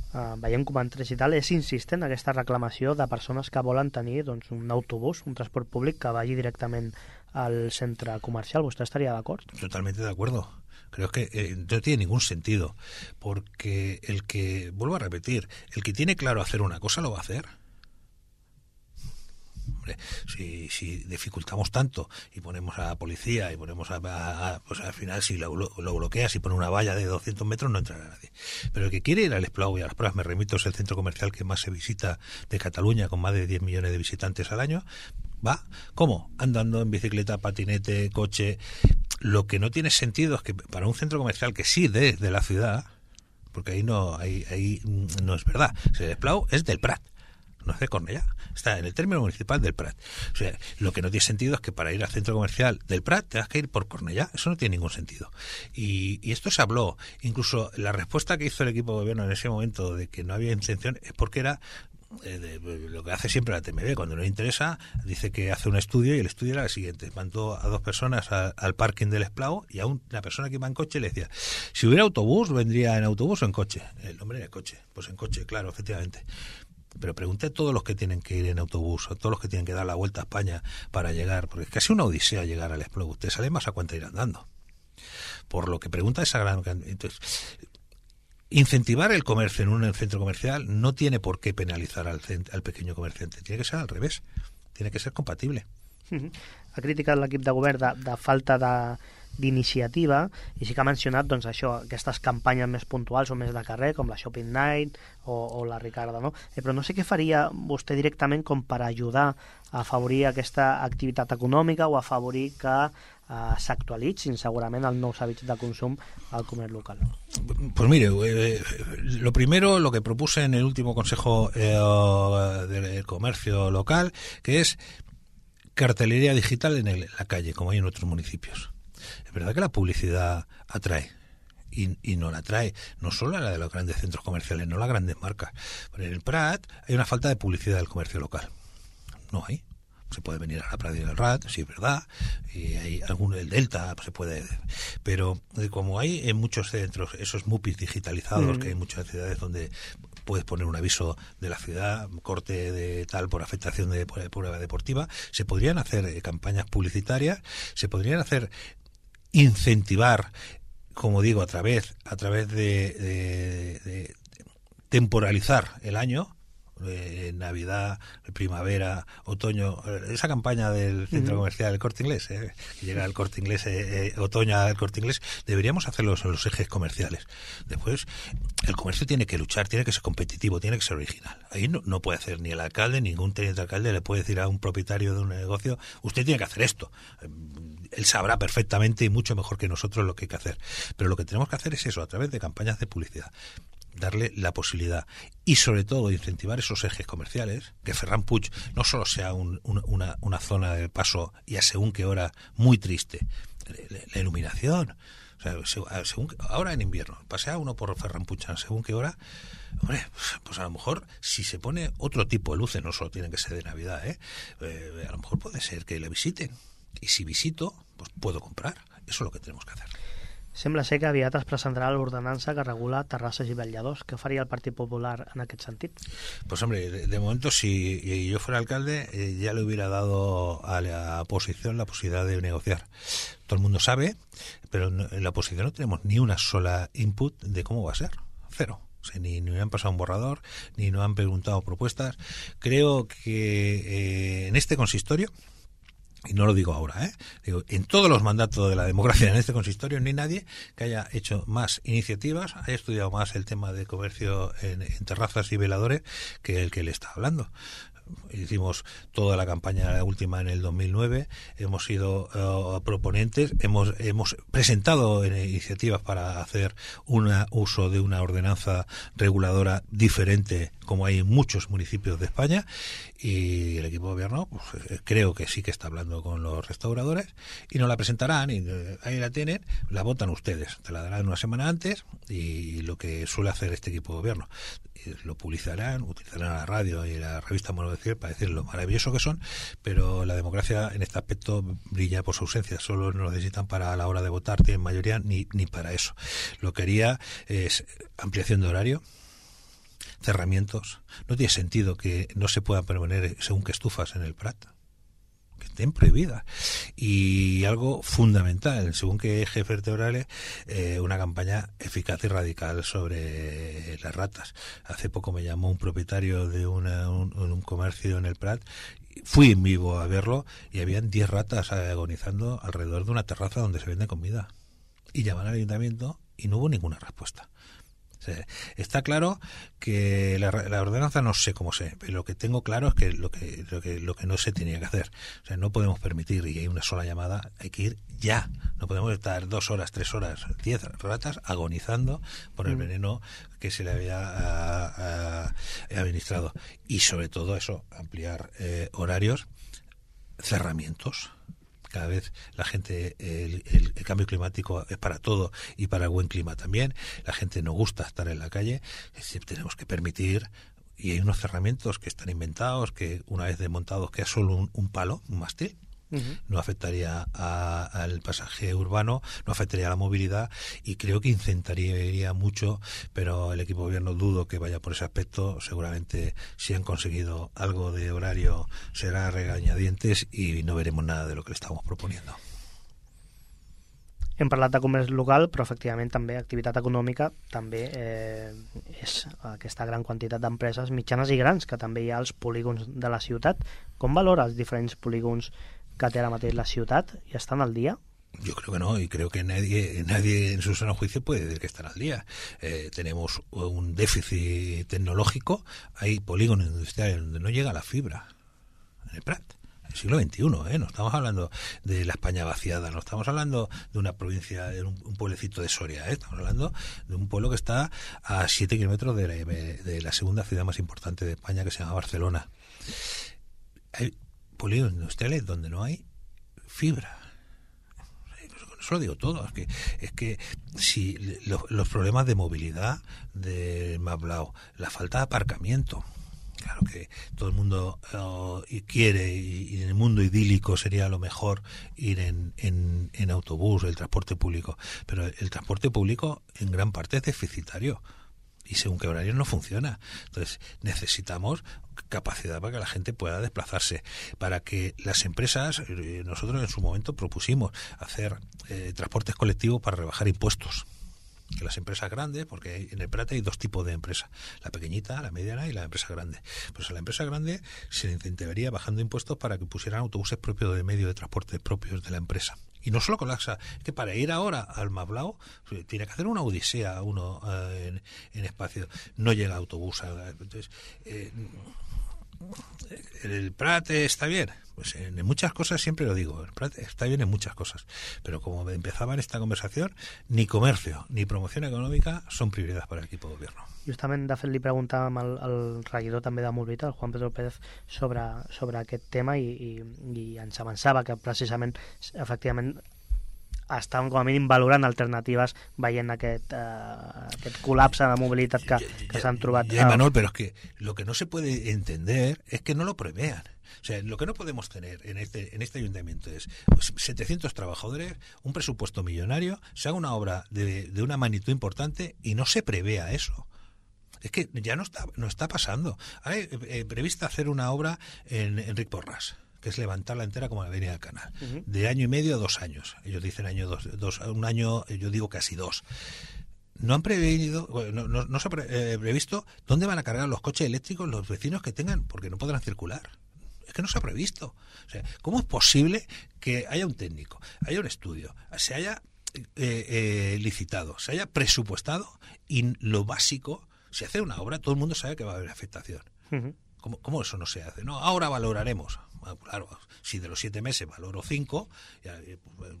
Uh, veiem comentaris i tal, és insistent aquesta reclamació de persones que volen tenir doncs, un autobús, un transport públic que vagi directament al centre comercial. ¿Usted estaría de acuerdo? Totalmente de acuerdo. Creo que eh, no tiene ningún sentido, porque el que, vuelvo a repetir, el que tiene claro hacer una cosa lo va a hacer. Hombre, si, si dificultamos tanto y ponemos a la policía y ponemos a, a, a pues al final si lo, lo bloqueas y pones una valla de doscientos metros no entrará nadie. Pero el que quiere ir al Esplau y a las pruebas, me remito, es el centro comercial que más se visita de Cataluña, con más de diez millones de visitantes al año, va, ¿cómo? Andando, en bicicleta, patinete, coche. Lo que no tiene sentido es que para un centro comercial que sí de, de la ciudad, porque ahí no, ahí, ahí no es verdad, el Esplau es del Prat, no es de Cornellá, está en el término municipal del Prat. O sea, lo que no tiene sentido es que para ir al centro comercial del Prat tengas que ir por Cornellá. Eso no tiene ningún sentido. Y, y esto se habló. Incluso la respuesta que hizo el equipo de gobierno en ese momento de que no había intención es porque era eh, de, de, lo que hace siempre la T M B. Cuando no le interesa, dice que hace un estudio y el estudio era el siguiente. Mandó a dos personas a, al parking del Esplau y a una persona que iba en coche le decía, si hubiera autobús, vendría en autobús o en coche. El hombre en el coche. Pues en coche, claro, efectivamente. Pero pregunté a todos los que tienen que ir en autobús, a todos los que tienen que dar la vuelta a España para llegar, porque es casi una odisea llegar al Esplau. Usted sale más a cuenta ir andando. Por lo que pregunta esa gran... Entonces, incentivar el comercio en un centro comercial no tiene por qué penalizar al, al pequeño comerciante. Tiene que ser al revés. Tiene que ser compatible. Ha criticat l'equip de govern de, de falta de d'iniciativa i sí que ha mencionat doncs, això, aquestes campanyes més puntuals o més de carrer, com la Shopping Night o, o la Ricarda, no? Eh, però no sé què faria vostè directament com per ajudar a afavorir aquesta activitat econòmica o afavorir que eh, s'actualitzin segurament els nous hàbits de consum al comerç local. Pues mire, eh, lo primero, lo que propuse en el último Consejo eh, del Comercio Local, que es cartelería digital en, el, en la calle, como hay en otros municipios. Es verdad que la publicidad atrae y, y no la atrae no solo a la de los grandes centros comerciales, no las grandes marcas. Pero en el Prat hay una falta de publicidad del comercio local. No hay. Se puede venir a la Pradera del Rat, sí es verdad, y hay algún el Delta se puede, pero como hay en muchos centros esos MUPIs digitalizados, mm. que hay muchas ciudades donde puedes poner un aviso de la ciudad, corte de tal por afectación de prueba deportiva, se podrían hacer eh, campañas publicitarias, se podrían hacer incentivar, como digo, a través a través de, de, de temporalizar el año, eh, Navidad, primavera, otoño, esa campaña del centro uh-huh. comercial El Corte Inglés, eh, que llega al Corte Inglés, eh, eh, otoño al Corte Inglés, deberíamos hacerlo en los ejes comerciales. Después, el comercio tiene que luchar, tiene que ser competitivo, tiene que ser original. Ahí no, no puede hacer ni el alcalde, ningún teniente alcalde le puede decir a un propietario de un negocio, usted tiene que hacer esto. Él sabrá perfectamente y mucho mejor que nosotros lo que hay que hacer. Pero lo que tenemos que hacer es eso, a través de campañas de publicidad. Darle la posibilidad y sobre todo incentivar esos ejes comerciales, que Ferran Puig no solo sea un, un, una, una zona de paso y a según qué hora muy triste, la, la iluminación, o sea, según, ahora en invierno pasea uno por Ferran Puig según qué hora, hombre, pues a lo mejor si se pone otro tipo de luces, no solo tienen que ser de Navidad, ¿eh? Eh, a lo mejor puede ser que le visiten y si visito pues puedo comprar. Eso es lo que tenemos que hacer. Sembla ser que aviat es presentarà l'ordenança que regula terrasses i vetlladors. Què faria el Partit Popular en aquest sentit? Pues hombre, de, de momento si yo fuera alcalde eh, ya le hubiera dado a la oposición la posibilidad de negociar. Todo el mundo sabe, pero en la oposición no tenemos ni una sola input de cómo va a ser. Cero. O sea, ni, ni han pasado un borrador, ni nos han preguntado propuestas. Creo que eh, en este consistorio, y no lo digo ahora, ¿eh? Digo, en todos los mandatos de la democracia en este consistorio no hay nadie que haya hecho más iniciativas, haya estudiado más el tema de comercio en, en terrazas y veladores que el que le está hablando. Hicimos toda la campaña la última en el dos mil nueve, hemos sido uh, proponentes, hemos hemos presentado iniciativas para hacer un uso de una ordenanza reguladora diferente como hay en muchos municipios de España, y el equipo de gobierno pues, creo que sí que está hablando con los restauradores y nos la presentarán y eh, ahí la tienen, la votan ustedes, te la darán una semana antes y lo que suele hacer este equipo de gobierno. Lo publicarán, utilizarán la radio y la revista Mono Decir para decir lo maravilloso que son, pero la democracia en este aspecto brilla por su ausencia, solo lo necesitan para a la hora de votar, tienen mayoría ni, ni para eso. Lo que haría es ampliación de horario, cerramientos. No tiene sentido que no se puedan poner según qué estufas en el Prat, que estén prohibidas. Y algo fundamental, según qué ejes vertebrales, eh, una campaña eficaz y radical sobre las ratas. Hace poco me llamó un propietario de una, un, un comercio en el Prat, fui en vivo a verlo y habían diez ratas agonizando alrededor de una terraza donde se vende comida. Y llamaron al ayuntamiento y no hubo ninguna respuesta. O sea, está claro que la, la ordenanza no sé cómo sé, pero lo que tengo claro es que lo que lo que lo que no se tenía que hacer. O sea, no podemos permitir, y hay una sola llamada, hay que ir ya. No podemos estar dos horas, tres horas, diez ratas agonizando por el veneno que se le había a, a, administrado. Y sobre todo eso, ampliar eh, horarios, cerramientos. Cada vez la gente, el, el, el cambio climático es para todo y para el buen clima también. La gente no gusta estar en la calle. Tenemos que permitir, y hay unos cerramientos que están inventados, que una vez desmontados queda solo un, un palo, un mástil. Uh-huh. No afectaría a, al pasaje urbano, no afectaría a la movilidad y creo que incentivaría mucho, pero el equipo de gobierno dudo que vaya por ese aspecto. Seguramente si han conseguido algo de horario será regañadientes y no veremos nada de lo que le estamos proponiendo. Hem parlat de comerç local, però efectivament també activitat econòmica també eh, és aquesta gran quantitat d'empreses mitjanes i grans que també hi ha als polígons de la ciutat. Com valora els diferents polígons que té ara mateix la ciutat y están al día? Yo creo que no, y creo que nadie nadie en su sano juicio puede decir que están al día. Eh, tenemos un déficit tecnológico, hay polígonos industriales donde no llega la fibra en el Prat. El siglo veintiuno, ¿eh? No estamos hablando de la España vaciada, no estamos hablando de una provincia, de un, un pueblecito de Soria, ¿eh? Estamos hablando de un pueblo que está a siete kilómetros de la, de la segunda ciudad más importante de España, que se llama Barcelona. Hay polígonos industriales donde no hay fibra. Eso lo digo todo. Es que, es que si los, los problemas de movilidad del Mablao, la falta de aparcamiento, claro que todo el mundo uh, quiere, y, y en el mundo idílico sería lo mejor ir en, en, en autobús, el transporte público, pero el transporte público en gran parte es deficitario y según qué horario no funciona. Entonces necesitamos capacidad para que la gente pueda desplazarse, para que las empresas, eh, nosotros en su momento propusimos hacer eh, transportes colectivos para rebajar impuestos. Que las empresas grandes, porque en el Prat hay dos tipos de empresas, la pequeñita, la mediana y la empresa grande. Pues a la empresa grande se le incentivaría bajando impuestos para que pusieran autobuses propios de medio de transporte propios de la empresa. Y no solo colapsa, es que para ir ahora al Mablao tiene que hacer una odisea uno eh, en, en espacio, no llega autobús. Entonces, eh, el Prat está bien, pues en muchas cosas siempre lo digo, el Prat está bien en muchas cosas, pero como empezaba en esta conversación, ni comercio ni promoción econòmica són prioritats per a l'equip de gobierno. Justament, de fet, li preguntàvem al, al regidor també de Mobilitat, el Juan Pedro Pérez, sobre, sobre aquest tema i, i, i ens avançava que precisament, efectivament, estan com a mínim valorant alternatives veient aquest, uh, aquest col·lapse de mobilitat que, que s'han trobat. Ya, Manuel, pero es que lo que no se puede entender es que no lo prevean. O sea, lo que no podemos tener en este en este ayuntamiento es pues, setecientos trabajadores, un presupuesto millonario, se haga una obra de, de una magnitud importante y no se prevea eso. Es que ya no está no está pasando. Hay eh, prevista hacer una obra en Enric Porras, que es levantarla entera como la Avenida del Canal, uh-huh. de año y medio a dos años. Ellos dicen año dos, dos un año, yo digo casi dos. No han previsto, no, no, no se ha pre, eh, previsto dónde van a cargar los coches eléctricos los vecinos que tengan, porque no podrán circular. Es que no se ha previsto. O sea, ¿cómo es posible que haya un técnico, haya un estudio, se haya eh, eh, licitado, se haya presupuestado y lo básico, si hace una obra, todo el mundo sabe que va a haber afectación? Uh-huh. ¿Cómo, ¿Cómo eso no se hace? No, ahora valoraremos. Bueno, claro, si de los siete meses valoro cinco, ya, pues,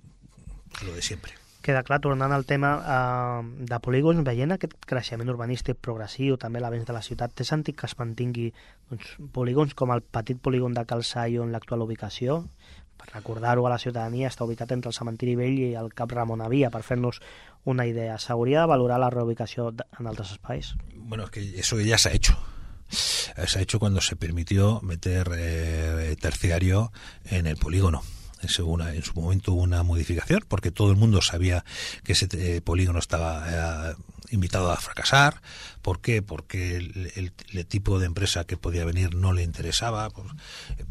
lo de siempre. Queda clar, tornant al tema uh, de polígons, veient aquest creixement urbanístic progressiu, també l'avenç de la ciutat, té sentit que es mantingui doncs, polígons com el petit polígon de Cal Saio en l'actual ubicació? Per recordar-ho a la ciutadania, està ubicat entre el cementiri vell i el Cap Ramon Avia, per fer-nos una idea. S'hauria de valorar la reubicació en altres espais? Bueno, es que eso ya se ha hecho. Se ha hecho cuando se permitió meter eh, terciario en el polígono. Es una, en su momento hubo una modificación porque todo el mundo sabía que ese eh, polígono estaba eh, invitado a fracasar. ¿Por qué? Porque el, el, el tipo de empresa que podía venir no le interesaba, por,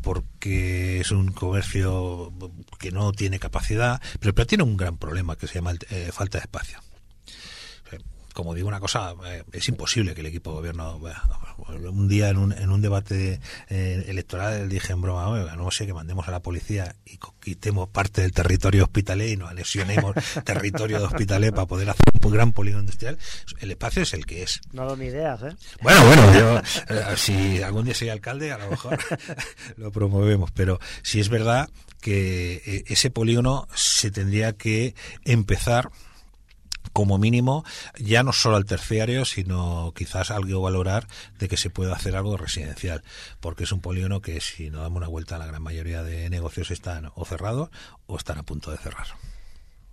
porque es un comercio que no tiene capacidad, pero, pero tiene un gran problema que se llama eh, falta de espacio. Como digo una cosa, eh, es imposible que el equipo de gobierno... Bueno, un día en un, en un debate eh, electoral dije en broma, oiga, no sé, que mandemos a la policía y quitemos parte del territorio hospitalet y nos anexionemos territorio de hospitalet para poder hacer un gran polígono industrial. El espacio es el que es. No doy ni ideas, ¿eh? Bueno, bueno, yo, eh, si algún día soy alcalde, a lo mejor lo promovemos, pero sí es verdad que eh, ese polígono se tendría que empezar como mínimo, ya no solo al terciario, sino quizás algo valorar de que se pueda hacer algo residencial, porque es un polígono que, si no damos una vuelta, la gran mayoría de negocios están o cerrados o están a punto de cerrar.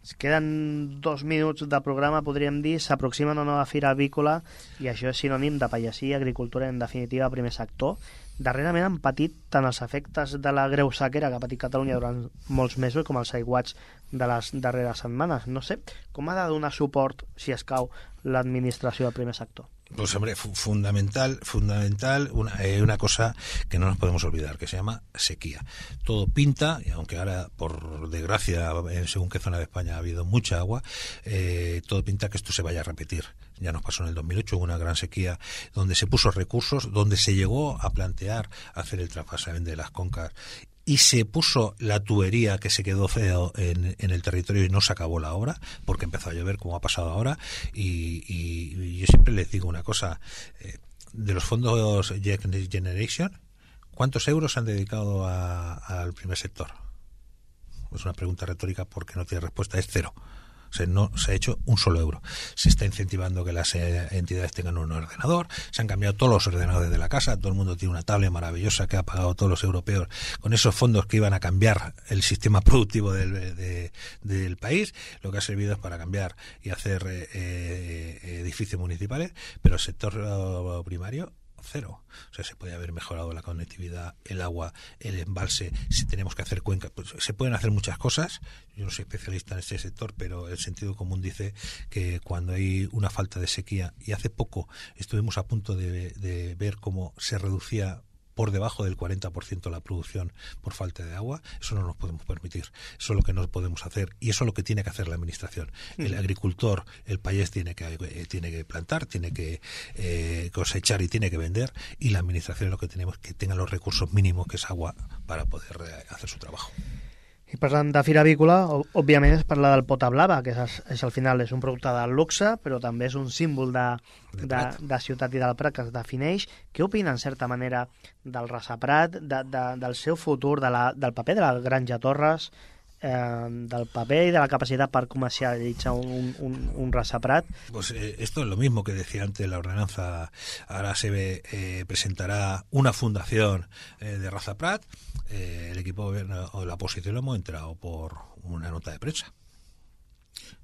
Es queden dos minuts de programa, podríem dir, s'aproxima una nova fira avícola i això és sinònim de pagesia i agricultura, en definitiva, primer sector. Darrerament han patit tant els efectes de la greu sequera que ha patit Catalunya durant molts mesos com els aiguats de les darreres setmanes. No sé, com ha de donar suport, si escau, l'administració del primer sector? Pues hombre, fundamental, fundamental una, eh, una cosa que no nos podemos olvidar, que se llama sequía. Todo pinta, y aunque ahora, por desgracia, en según qué zona de España ha habido mucha agua, eh, todo pinta que esto se vaya a repetir. Ya nos pasó en el dos mil ocho, hubo una gran sequía donde se puso recursos, donde se llegó a plantear hacer el trasvasamiento de las concas y se puso la tubería que se quedó feo en, en el territorio y no se acabó la obra porque empezó a llover, como ha pasado ahora. Y, y, y yo siempre les digo una cosa, eh, de los fondos Next Generation, ¿cuántos euros se han dedicado a, al primer sector? Es una pregunta retórica porque no tiene respuesta, es cero. O sea, no se ha hecho un solo euro. Se está incentivando que las eh, entidades tengan un ordenador, se han cambiado todos los ordenadores de la casa, todo el mundo tiene una tablet maravillosa que ha pagado todos los europeos con esos fondos que iban a cambiar el sistema productivo del, de, del país. Lo que ha servido es para cambiar y hacer eh, eh, edificios municipales, pero el sector uh, primario, cero. O sea, se puede haber mejorado la conectividad, el agua, el embalse, si tenemos que hacer cuencas, pues se pueden hacer muchas cosas. Yo no soy especialista en este sector, pero el sentido común dice que cuando hay una falta de sequía, y hace poco estuvimos a punto de, de ver cómo se reducía por debajo del cuarenta por ciento la producción por falta de agua, eso no nos podemos permitir. Eso es lo que no podemos hacer y eso es lo que tiene que hacer la administración. El agricultor, el país tiene que eh, tiene que plantar, tiene que eh, cosechar y tiene que vender, y la administración es lo que tenemos, que tenga los recursos mínimos, que es agua, para poder eh, hacer su trabajo. I parlant de fira avícola, òbviament es parla del pota blava, que és, és al final és un producte de luxe, però també és un símbol de, de, de, de ciutat i del Prat que es defineix. Què opina, en certa manera, del Rasa Prat, de, de, del seu futur, de la, del paper de la Granja Torres, eh, del paper y de la capacidad para comercializar un, un, un Rasa Prat? Pues eh, esto es lo mismo que decía antes la ordenanza. Ahora se ve, eh, presentará una fundación eh, de Rasa Prat. Eh, el equipo de gobierno o la oposición lo hemos entrado por una nota de prensa.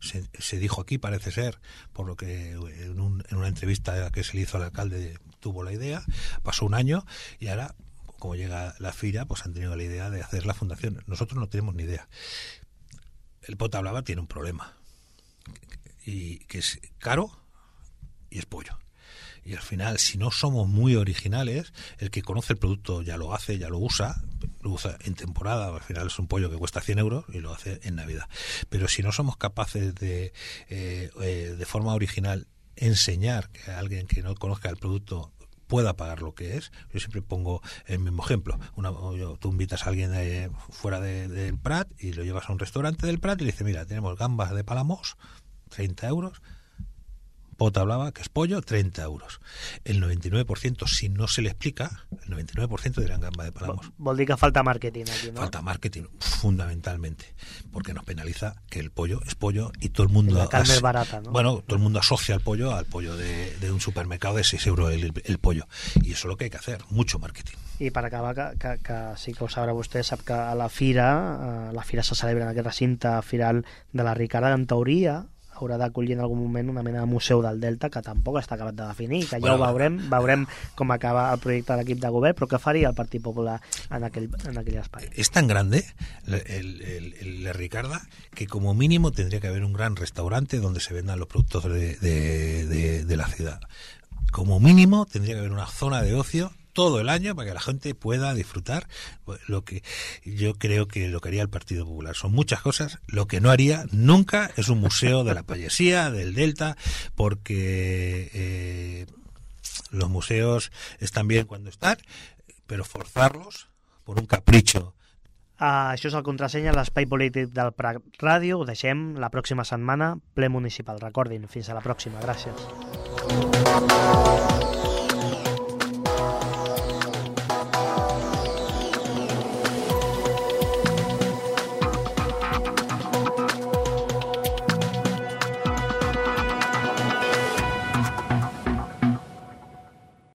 se, se dijo aquí, parece ser, por lo que en, un, en una entrevista que se le hizo al alcalde tuvo la idea, pasó un año y ahora, como llega la Fira, pues han tenido la idea de hacer la fundación. Nosotros no tenemos ni idea. El Pota Blava tiene un problema, y que es caro y es pollo. Y al final, si no somos muy originales, el que conoce el producto ya lo hace, ya lo usa, lo usa en temporada, al final es un pollo que cuesta cien euros y lo hace en Navidad. Pero si no somos capaces de, eh, eh, de forma original, enseñar que a alguien que no conozca el producto pueda pagar lo que es, yo siempre pongo el mismo ejemplo. Una, yo, tú invitas a alguien de, fuera de, del Prat y lo llevas a un restaurante del Prat y le dices, mira, tenemos gambas de Palamós, treinta euros, Pota Blava, que es pollo, treinta euros. El noventa y nueve por ciento, si no se le explica, el noventa y nueve por ciento dirán gamba de Palamós. Vol dir que falta marketing aquí, ¿no? Falta marketing, fundamentalmente, porque nos penaliza que el pollo es pollo y todo el mundo... La carne es barata, ¿no? Bueno, todo el mundo asocia al pollo al pollo de, de un supermercado de seis euros el, el pollo. Y eso es lo que hay que hacer, mucho marketing. I per acabar, que, que, que sí que ho sabrà vostè, sap que a la Fira, a la Fira se celebra en aquest recinte firal de la Ricarda, en teoria haurà d'acollir en algun moment una mena de museu del Delta, que tampoc està acabat de definir, que ja bueno, ho veurem, veurem com acaba el projecte de l'equip de govern, però què faria el Partit Popular en aquell, en aquell espai? Es tan grande el, el, el, el Ricarda que como mínimo tendría que haber un gran restaurante donde se vendan los productos de, de, de, de la ciudad. Como mínimo tendría que haber una zona de ocio todo el año para que la gente pueda disfrutar lo que yo creo que lo que haría el Partido Popular. Son muchas cosas. Lo que no haría nunca es un museo de la payasía, del Delta, porque eh, los museos están bien cuando están, pero forzarlos por un capricho. Uh, això és el Contrasenya, l'espai polític del Prat Ràdio. Ho deixem la pròxima setmana, ple municipal. Recordin, fins a la pròxima. Gràcies.